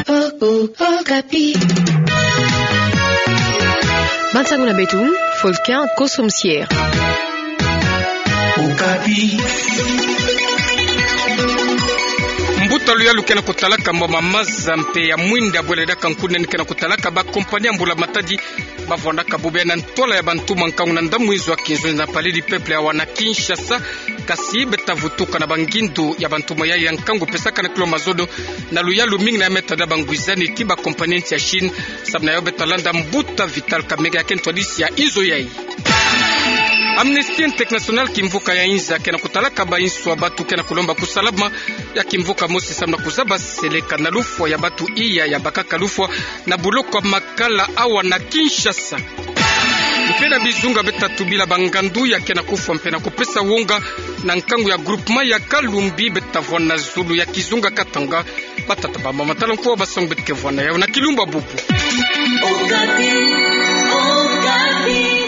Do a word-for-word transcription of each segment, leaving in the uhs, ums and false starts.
Oh, oh, Okapi. Bansango na beto, Folkin Kosomsier. Okapi. Mbuta luyalu ke na kutalaka mboma maza mpe ya mwinda bwele diaka nkuni nani ke na kutalaka ba compagnie ya mbula matadi bavwandaka bubu ya na ntwala ya bantumwa nkangu na ndamwizu ya kinzonzi na Palais du Peuple awa na Kinshasa. Kasi beta vutuka na bangindu ya bantumwa ya, ya nkangu pesaka na kilo mazono na luyalu mingi na ya meta da bangwizani ti ba compagnie nsi ya Chine. Samu na yo beta landa mbuta Vital Kamerhe ya ke ntwadisi ya inzo yayi. Amnesty International kimvuka ya inza ke na kutalaka ba insu ya batu ke na kulomba kusalama ya kimvuka mosi samu na kuzaba seleka na lufwa ya batu iya ya bakaka lufwa na buloko ya Makala awa na Kinshasa. Mpe na bizunga beta tubila bangandu ya ke na kufwa mpe na kupesa wonga na nkangu ya groupement ya Kalumbi beta vwanda na zulu ya kizunga Katanga. Batata, bamama, tala nkuwa basango beto ke vwanda yau na kilumbu bubu. Okapi, Okapi.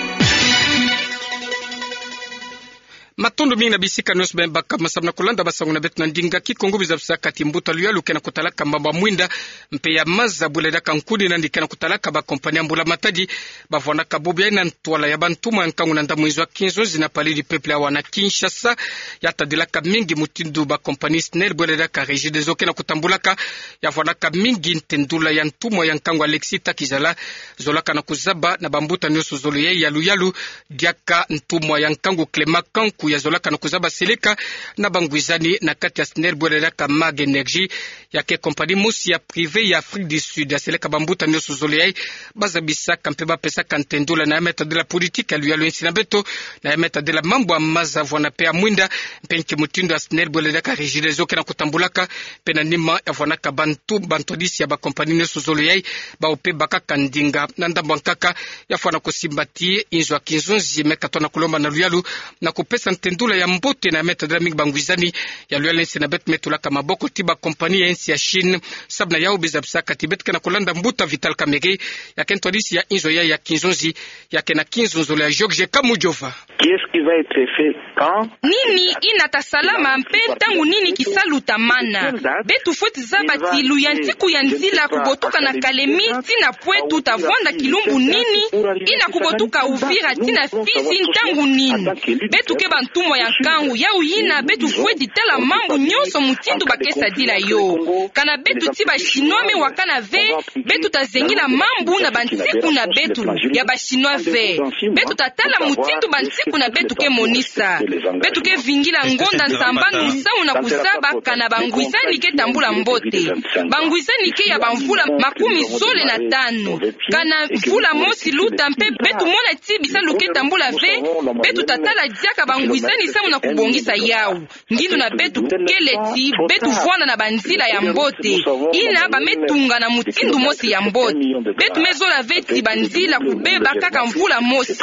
Matondo mingi na bisika nionso beno baka masamu na kulanda basango na beto na ndinga Kikongo. Biza bisaka ti mbuta luyalu ke na kutalaka mboma mwinda mpe ya maza bwele diaka nkuni nani ke na kutalaka ba compagnie ya mbula matadi bavwandaka bubu ya na ntwala ya bantumwa ya nkangu na ndamwizu ya kinzonzi na Palais du Peuple awa na Kinshasa. Ya tadilaka mingi mutindu ba compagnie SNEL bwele diaka Regideso ke na kutambulaka. Ya vwandaka mingi ntendula ya ntumwa ya nkangu Alexis Takizala zolaka na kuzaba na bambuta nionso zole ya, ya luyalu diaka ntumwa ya nkangu Clément Kanku ya zolaka na kuzaba seleka na bangwizani na kati ya SNEL bwele diaka Mag Energy. Ya ke compagnie mosi ya privé ya Afrique du Sud. Ya seleka bambuta nionso zole yayi bazabisaka mpe bapesaka ntendula na ya meta de la politique ya luyalu ya insi na beto, na ya meta de la mambu ya maza vwanda mpe ya mwinda, mpe nki mutindu ya SNEL bwele diaka Regideso ke na kutambulaka, mpe na nima ya vwandaka bantu, bantwadisi ya ba compagnie nionso zole yayi, bawu mpe bakaka ndinga. Na ndambu ya nkaka, ya fwana kusimba ti inzo ya kinzonzi me katona kulomba na luyalu na kupesa ntendula ya mbote na ya meta de la mingi bangwizani ya luyalu ya insi na beto me tulaka maboko ti ba compagnie ya insi ya Chine. Samu na yau biza bisaka ti beto ke na kulanda mbuta Vital Kamerhe ya ke ntwadisi ya inzo ya, ya kinzonzi, ya ke na kinzonzolo ya Georges Kamujova. Qu'est-ce qui va être fait quand? Nini yina ta salama mpe ntangu nini kisalu ta mana? Beto fweti zaba ti luyantiku ya nzila kubotuka na Kalemi tii na Pointe-Noire ta vwanda kilumbu nini, yina kubotuka Uvira tii na Fizi ntangu nini? Beto ke bantumwa ya nkangu, yau yina beto fweti tala mambu nionso mutindu ba ke sadila yo. Kana beto ti ba Chinois me wakana ve, beto ta zengila mambu na bansiku na beto ya ba Chinois ve. Beto ta tala mutindu bansiku na beto ke monisa. Beto ke vingila ngonda nsambanu samu na kuzaba kana bangwizani ke tambula mbote. Bangwizani ke ya bamvula makumi zole na tanu. Kana mvula mosi luta mpe beto mona ti bisalu ke tambula ve, beto ta tala diaka bangwizani samu na kubongisa yau. Ngindu na beto kele ti beto vwanda na banzila ya mbote, yina ba me tunga na mutindu mosi ya mbote. Beto me zola ve ti banzila kubeba kaka mvula mosi.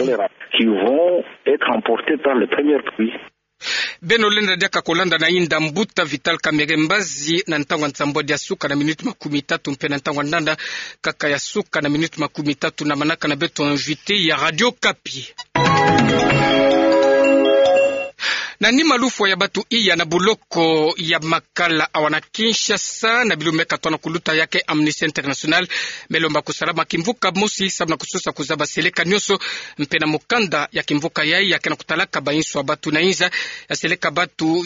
Qui vont être emportés par les premières pluies. Beno lenda diaka kulanda na inda mbuta Vital Kamerhe mbazi na ntangu ya nsambwadi ya suka na minute makumi tatu mpe na ntangu ya ndanda kaka ya suka na minute makumi tatu na manaka na beto invité ya Radio Okapi. Na nima lufwa ya batu iya na buloko ya Makala awa na Kinshasa na bilumbu me katona kuluta, ya ke Amnesty International me lomba kusalama kimvuka mosi samu na kusosa kuzaba seleka nionso mpe na mukanda ya kimvuka yayi ya ke na kutalaka ba insu ya batu na inza ya seleka batu,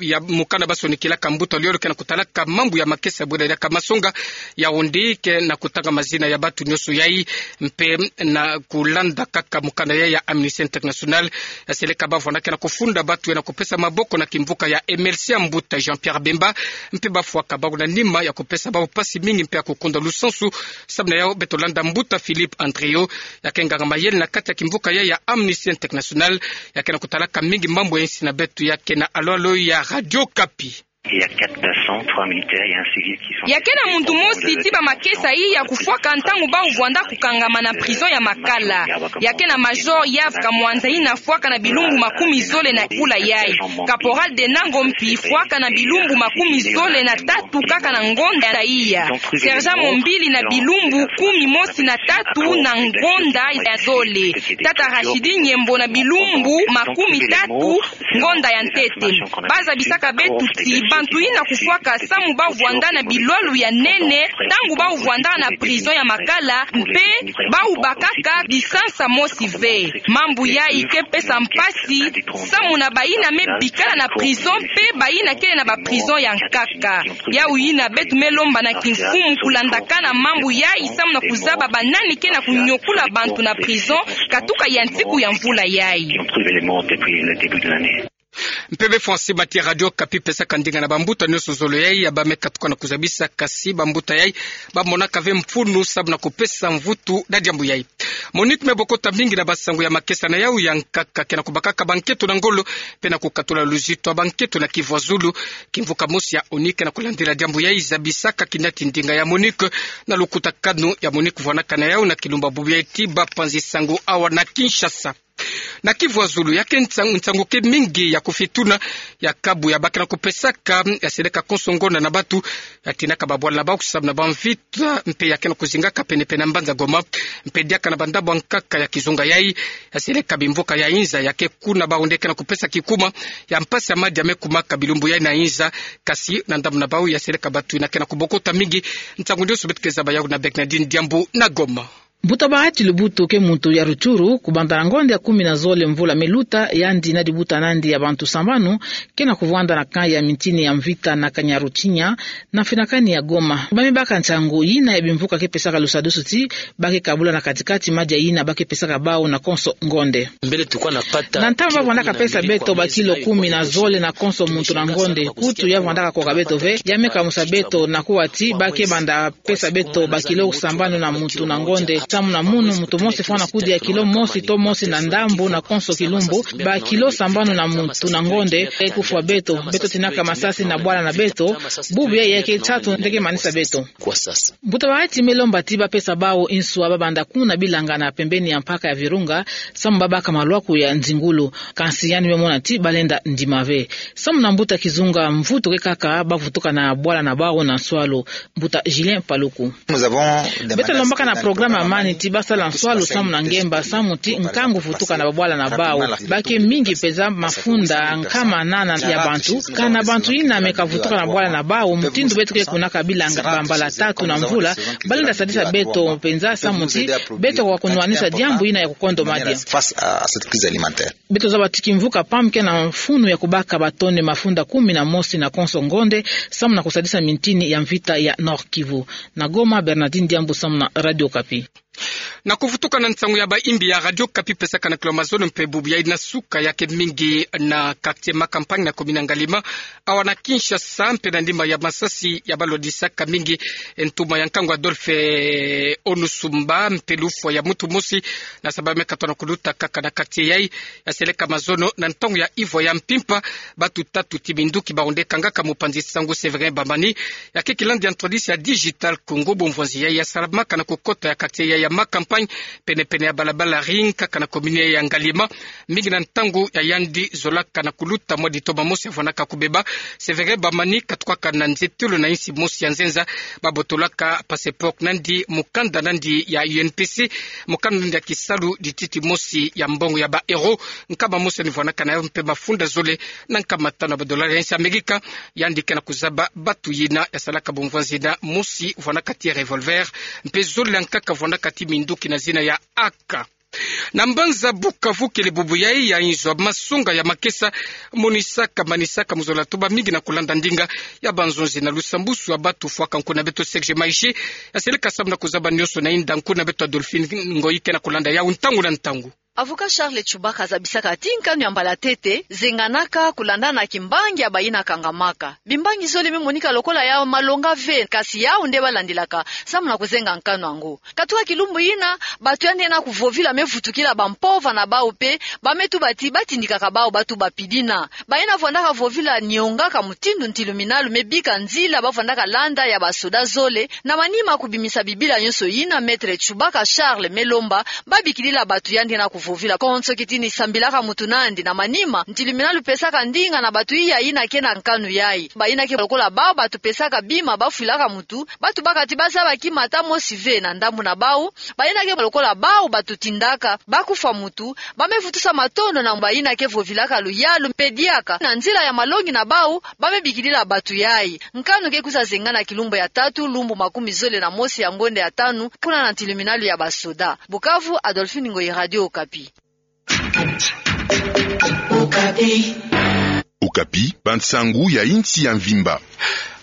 ya mukanda ba sonikilaka mbuta luyalu ke na kutalaka mambu ya makesa bwele diaka masonga. Yaoundé ke na kutanga mazina ya batu nionso yayi, mpe na kulanda kaka mukanda yayi ya Amnesty International, ya seleka ba vwanda ke na kufunda batu ya na kupesa maboko na kimvuka ya M L C ya mbuta Jean-Pierre Bemba, mpe ba fwaka bawu na nima ya kupesa bawu pasi mingi mpe ya kukunda lusansu. Samu na yau beto landa mbuta Philippe Andrieu, ya ke nganga mayele na kati ya kimvuka yayi ya Amnesty International, ya ke na kutalaka mingi mambu ya insi na beto, ya ke na alolo ya Radio Okapi. Il y a quatre passants, trois militaires et un civil qui sont... Ya ke na muntu mosi ti ba makesa iya kufwaka ntangu bawu vwanda kukangama na prison ya Makala. Ya ke na Major Yves Kamwanza yina fwaka na bilumbu makumi zole na mvula yayi. Caporal Denango mpi fwaka na bilumbu makumi zole na tatu kaka na ngonda iya. Sergent Mombili na bilumbu kumi mosi na tatu na ngonda ya zole. Tata Rachidi Nyembo na bilumbu makumi tatu ngonda ya ntete. Ba zabisaka beto ti ba bantu yina kufwaka samu ba vwanda na bilwalu ya nene, ntangu ba vwandaka na prison ya Makala, mpe ba bakaka bisansa mosi ve. Mambu yayi ke pesa mpasi samu na bayina me bikala na prison mpe bayina kele na ba prison ya nkaka. Yawu yina beto me lomba na kimfumu kulandakana mambu yayi samu na kuzaba ba nani ke na kunyokula bantu na prison katuka ya nsiku ya mvula yayi. Mpeve Francis Mati, Radio Okapi, pesaka ndinga na bambuta nyonso zole yayi ya ba me katuka na kuzabisa, kasi bambuta yayi ba monaka ve mfunu samu na kupesa mvutu na diambu yayi. MONUC me bokota mingi na bansangu ya makesa na yawu ya nkaka, ke na kubakaka banketo na ngolo mpe na kukatula luzitu ya banketo na Kivu ya Zulu. Kimvuka mosi ya ONU ke na kulandila diambu yayi, zabisaka kinati ndinga ya MONUC na lukutakanu ya MONUC vwanaka na yawu na kilumbu bubu yayi ti bapanzi sango awa na Kinshasa. Na Kivu ya Zulu, ya ke nsa-, nsangu ke mingi ya kufituna ya kabu ya ba ke na kupesaka, ya seleka konso ngonda na bantu ya tinaka babwala na bawu samu na bamvita, mpe ya ke na kuzingaka pene-pene na mbanza Goma, mpe diaka na bandambu ya nkaka ya kizunga yayi, ya seleka bimvuka ya inza ya ke kuna bawu nde ke na kupesa kikuma ya mpasi ya madia me kumaka bilumbu yayi na inza, kasi na ndambu na bawu ya seleka bantu yina ke na kubokota mingi. Nsangu nyonso beto ke zaba yawu na Bernardine Diambu na Goma. Mbuta Bahati Lubutu ke muntu ya Rutshuru, kubanda na ngonda ya kumi na zole mvula me luta, yandi na dibuta na yandi ya bantu sambanu ke na kuvwanda na camp ya mintini ya mvita na Kanyaruchinya, na finakani ya Goma. Ba me baka nsangu yina ya bimvuka ke pesaka lusadusu ti ba ke kabula na kati-kati madia yina ba ke pesaka bawu na konso ngonda. Na ntangu ba vwandaka pesa beto bakilo kumi na zole na konso muntu na ngonda, kutu ya vwandaka koka beto ve, ya me kamusa beto na kuwa ti ba ke banda pesa beto bakilo sambanu na muntu na ngonda. Samu na munu, muntu mosi fwana kudia kilo mosi to mosi na ndambu na konso kilumbu, bakilo sambanu na muntu na ngonda, e kufwa beto, beto tinaka masasi na bwala na beto, bubu yayi ya ke tatu nde ke manisa beto. Mbuta Bahati me lomba ti ba pesa bawu inswa ba banda kuna Bilanga na pembeni ya mpaka ya Virunga, samu ba baka malwaku ya nzingulu, kansi yandi me mona ti ba lenda ndima ve. Samu na mbuta kizunga, mvutu ke kaka ba vutuka na bwala na bawu na nswalu. Mbuta Julien Paluku. Beto lombaka na programa ya mani ti ba sala nswalu samu na ngemba, samu ti nkangu vutuka na babwala na bawu. Ba ke mingi penza, mafunda nkama nana ya bantu, kana bantu yina me kavutuka na bwala na bawu, mutindu beto ke kunaka Bilanga bambala tatu na mvula, ba lenda sadisa beto penza samu ti beto kwa kunwanisa diambu yina ya kukondo madia. Beto zaba ti kimvuka PAM ke na mfunu ya kubaka batone mafunda kumi na mosi na konso ngonda, samu na kusadisa mintini ya mvita ya Nord-Kivu. Na Goma, Bernardine Diambu samu na Radio Okapi. Na kuvutuka na nsangu ya bayimbi ya Radio Okapi pesaka na kilo mazono mpe bubu yayi na suka, ya ke mingi na quartier Ma Campagne na commune ya Ngaliema, awa na Kinshasa, mpe na nima ya masasi ya balwadisaka mingi ntuma ya nkangu Adolphe Onusumba, mpe lufwa ya muntu mosi na saba me katona kuluta kaka na quartier yayi, ya seleka mazono na ntangu ya ivwa ya mpimpa. Bantu tatu ti minduki bawu nde kangaka mopanzi sango Sévérin Bamani, ya ke kilandi ya ntwadisi ya Digital Congo. Bumvwanzi yayi ya salamaka na kukota ya quartier yayi ya Ma Campagne, pene-pene ya balabala Ring, kaka na commune ya Ngaliema, mingi na ntangu ya yandi zolaka na kuluta mwa ditoma mosi ya vwanaka kubeba. Sévérin Bamani katukaka na nzietolo na insi mosi ya nzenza, babotolaka passeport na yandi, mukanda na yandi ya U N P C, mukanda na yandi ya kisalu, dititi mosi ya mbongo ya ba euros, nkama mosi yandi vwanaka na yo mpe mafunda zole na nkama tanu ya ba dollars ya insi Amerika. Yandi ke na kuzaba bantu yina ya salaka bumvwanzi yina, mosi vwanaka ti revolver, mpe zole ya nkaka vwanaka ti minduki na zina ya A K. Na mbanza Bukavu kele bubu yayi ya inzo ya masonga ya makesa monisaka, manisaka muzola to bamingi na kulanda ndinga ya banzonzi na lusambusu ya bantu. Fwaka nkuna beto Serge Maishe ya seleka samu na kuzaba nyonso na inda nkuna beto Adolphine Ngoyi ke na kulanda yawu ntangu na ntangu. Avocat Charles Tshubaka azabisaka ti nkanu ya mbala ntete zenganaka kulandana na kimbangi ya bayina kangamaka. Bimbangi zole me monika lokola ya malonga ve, kasi yawu nde balandilaka samu na kuzenga nkanu yango. Katuka kilumbu yina, bantu yandi yena kuvovila me vutukila bampova na bawu mpe ba me tuba ti ba tindikaka bawu ba tuba pidina. Bayina vwandaka vovila nionga ka mutindu ntilu minalu me bika nzila ba vwandaka landa ya basoda zole, na manima kubimisa bibila nyonso yina Maître Tshubaka Charles me lomba, ba bikilila bantu yandi yena kuvo- Vovila konso kitini sambilaka mutu nandi. Na manima, ntiluminalu pesaka ndinga na batu iya ina ke na nkanu yai. Baina ke lokola bau batu pesaka bima bafwilaka mutu, batu bakati bazabaki mata mosi ve na ndambu na bau, baina ke lokola bau batu tindaka bakufwa mutu, ba me vutusa matondo na baina ke vovilaka luyalu mpe diaka na nzila ya malongi na bau, ba me bikilila batu yai. Nkanu ke kwiza zenga na kilumbu ya tatu, lumbu makumi zole na mosi ya ngonda ya tanu, kuna na ntiluminalu ya basoda. Bukavu, Adolphine Ngoyi, Radio Okapi. Okapi, bansangu ya insi ya mvimba.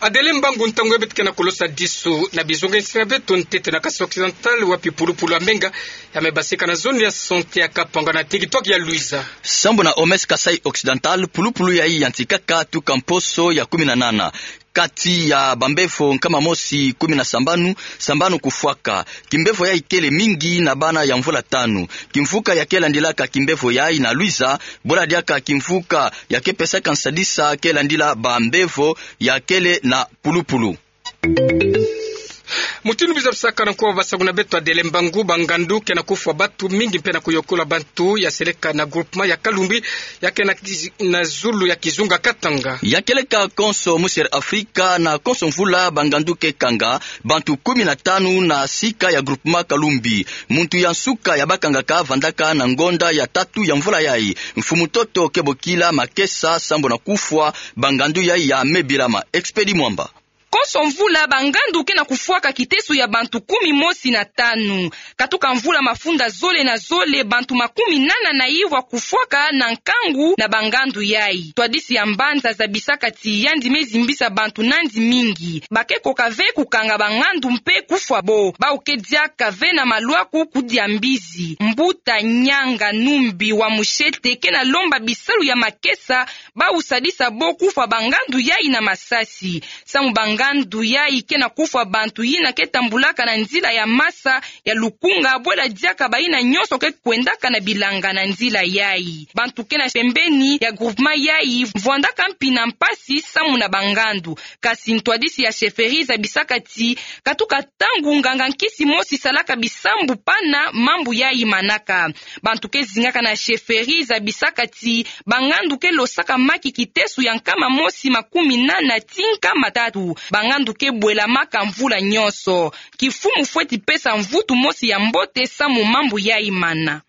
Adele Mbangu, ntangu ya beto ke na kolosa disu na bizonga insi na beto ntete na Kasaï Occidental, wapi pulupulu ya menga ya me basika na zone ya santé ya Kapanga na territoire ya Luiza. Sambu na O M S Kasaï Occidental, pulupulu yai yantikaka tuka mposo ya kumi na nana. Kati ya bambevo nkama mosi kumi na sambanu, sambanu kufwaka. Kimbevo yai kele mingi na bana ya mvula tanu. Kimvuka ya ke landilaka kimbevo yai na Luiza, bwela diaka kimvuka ya ke pesaka nsadisa ke landila bambevo ya kele na pulupulu. Mutindu biza bisaka na nkuwa basangu na beto Adele Mbangu, bangandu ke na kufwa batu mingi mpe na kuyokola bantu ya seleka na groupement ya Kalumbi, ya ke na kiz-, na zulu ya kizunga Katanga. Ya keleka konso musi Afrika, na konso mvula bangandu ke kanga bantu kumi na tanu na sika ya groupement Kalumbi. Muntu ya nsuka ya bakangaka vandaka na ngonda ya tatu ya mvula yai. Mfumu Toto ke bokila makesa sambu na kufwa bangandu yai ya me bilama. Expedi Mwamba. Konso mvula, bangandu ke na kufwaka kiteso ya bantu kumi mosi na tanu. Katuka mvula mafunda zole na zole, bantu makumi nana na iwa kufwaka na nkangu na bangandu yai. Ntwadisi ya mbanza zabisaka ti yandi me zimbisa bantu nandi mingi. Ba ke koka ve kukanga bangandu mpe kufwa bo. Bau ke diaka ve na malwaku kudia mbizi, mbuta, nyanga, numbi, wa mushete ke na lomba bisalu ya makesa, bau sadisa bo kufwa bangandu yai na masasi. Samu bangandu yai ke na kufwa bantu yina ke tambulaka na nzila ya masa ya lukunga, bwela diaka bayina nyonso ke kwendaka na bilanga na nzila yai. Bantu ke na pembeni ya groupement yai vwandaka mpi na mpasi samu na bangandu. Kasi ntwadisi ya chefferie zabisaka ti katuka ntangu nganga nkisi mosi salaka bisambu pana mambu yai manaka. Bantu ke zingaka na chefferie zabisaka ti bangandu ke losaka maki kiteso ya nkama mosi makumi nana ti nkama tatu. Bangandu ke bwelamaka mvula nyonso. Kifumu fweti pesa mvutu mosi ya mbote samu mambu yai mana.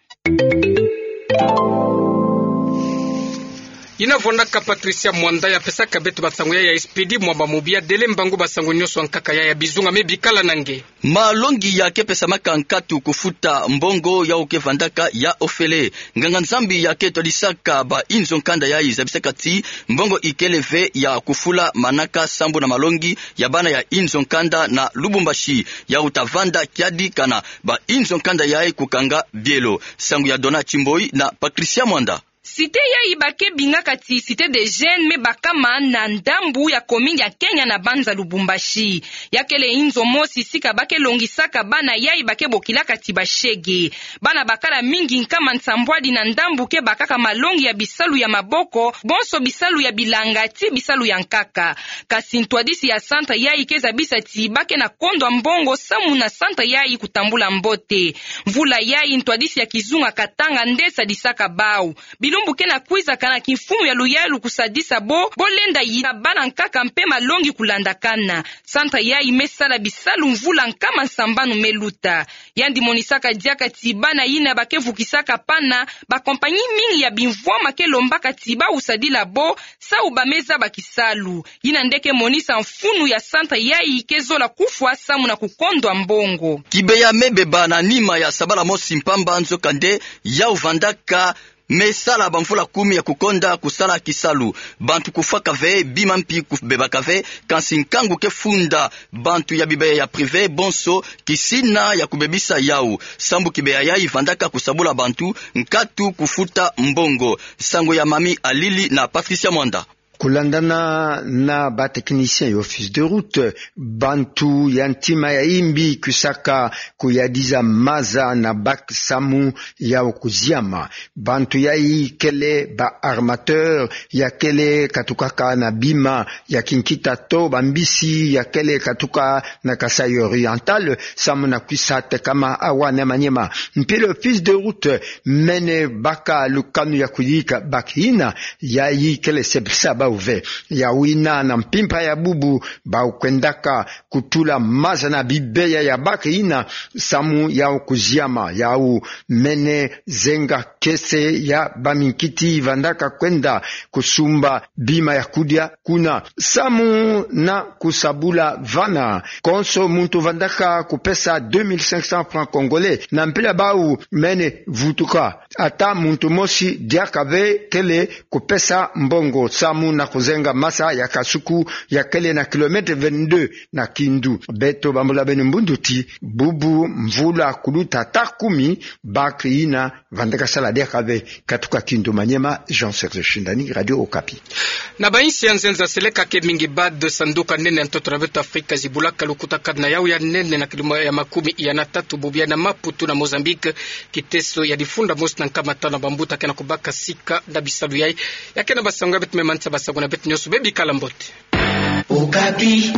Yina vwandaka Patricia Mwanda ya pesaka beto basangu yai ya Expedi Mwamba Mubi. Adele Mbangu, basangu nyonso ya nkaka yai ya bizunga me bikala na nge. Malongi ya ke pesamaka nkatu kufuta mbongo yau ke vandaka ya ofele. Nganga-Nzambi ya ke twadisaka ba inzo nkanda yai zabisaka ti mbongo ikele ve ya kufula manaka sambu na malongi ya bana ya inzo nkanda na Lubumbashi. Yau ta vanda kiadi kana ba inzo nkanda yai kukanga bielo. Sangu ya Dona Chimboi na Patricia Mwanda. Cité yai ba ke bingaka ti Cité des Jeunes me bakama na ndambu ya commune ya Kenya na mbanza Lubumbashi. Ya kele inzo mosi sika ba ke longisaka bana yai ba ke bokilaka ti bashege. Bana bakala mingi nkama nsambwadi na ndambu ke bakaka malongi ya bisalu ya maboko, bonso bisalu ya bilanga ti bisalu ya nkaka. Kasi ntwadisi ya centre yai ke zabisa ti ba ke na kondwa mbongo samu na centre yai kutambula mbote. Mvula yai ntwadisi ya kizunga Katanga nde sadisaka bau. Bilumbu ke na kwiza kana kimfumu ya luyalu kusadisa bo, bo lenda yina bana nkaka mpe malongi kulandakana. Centre yai me sala bisalu mvula nkama nsambanu me luta. Yandi monisaka diaka ti bana yina ba ke vukisaka pana, ba compagnie mingi ya bimvwama ke lombaka ti bau sadila bo, sawu ba me zaba kisalu. Yina nde ke monisa mfunu ya centre yai ke zola kufwa samu na kukondwa mbongo. Kibeya me beba na nima ya sabala mosi mpamba, nzokande yau vandaka me sala bamvula kumi ya kukonda kusala kisalu. Bantu kufwaka ve, bima mpi kubebaka ve, kansi nkangu ke funda bantu ya bibeya ya privé bonso kisina ya kubebisa yau. Sambu kibeya yai vandaka kusabula bantu nkatu kufuta mbongo. Sango ya Mami Alili na Patricia Mwanda. Kulandana na ba technicien ya office de route, bantu ya ntima ya imbi kwisaka kuyadiza maza na bac samu yau kuziama. Bantu yayi kele ba armateur, ya kele katukaka na bima ya kinkita to bambisi ya kele katuka na Kasaï Oriental, samu na kwisa tekama awa na maniema. Mpila office de route mene baka lukanu ya kuyika bac ina, yayi kele sepisa bau ve. Yau ina na mpimpa ya bubu bau kwendaka kutula maza na bibeya ya bac ina, samu yau kuziama, yau mene zenga kese ya baminkiti vandaka kwenda kusumba bima ya kudia kuna. Samu na kusabula vana, konso muntu vandaka kupesa deux mille cinq cents francs congolais, na mpila bau mene vutuka. Ata muntu mosi diaka ve kele kupesa mbongo, samu na kuzenga maza ya Kasuku, ya kele na kilomètre vingt-deux na Kindu. Beto bambula beno mbundu ti bubu mvula kuluta ta kumi, bac ina vandaka sala diaka ve. Katuka Kindu Maniema, Jean Serge Shindani, Radio Okapi. Na ba insi ya nzenza seleka ke mingi, BAD, sanduka nene ya ntoto na beto Afrika, zibulaka lukuta kadi na yau ya nene na kilumbu ya makumi iya na tatu, bubu ya na Maputo na Mozambique, kiteso ya difunda mosi na nkama tanu na bambuta ke na kubaka sika na bisalu yayi. Ya ke na basango ya beto, me manisa basango na beto nyonso, bebikala mbote. Okapi.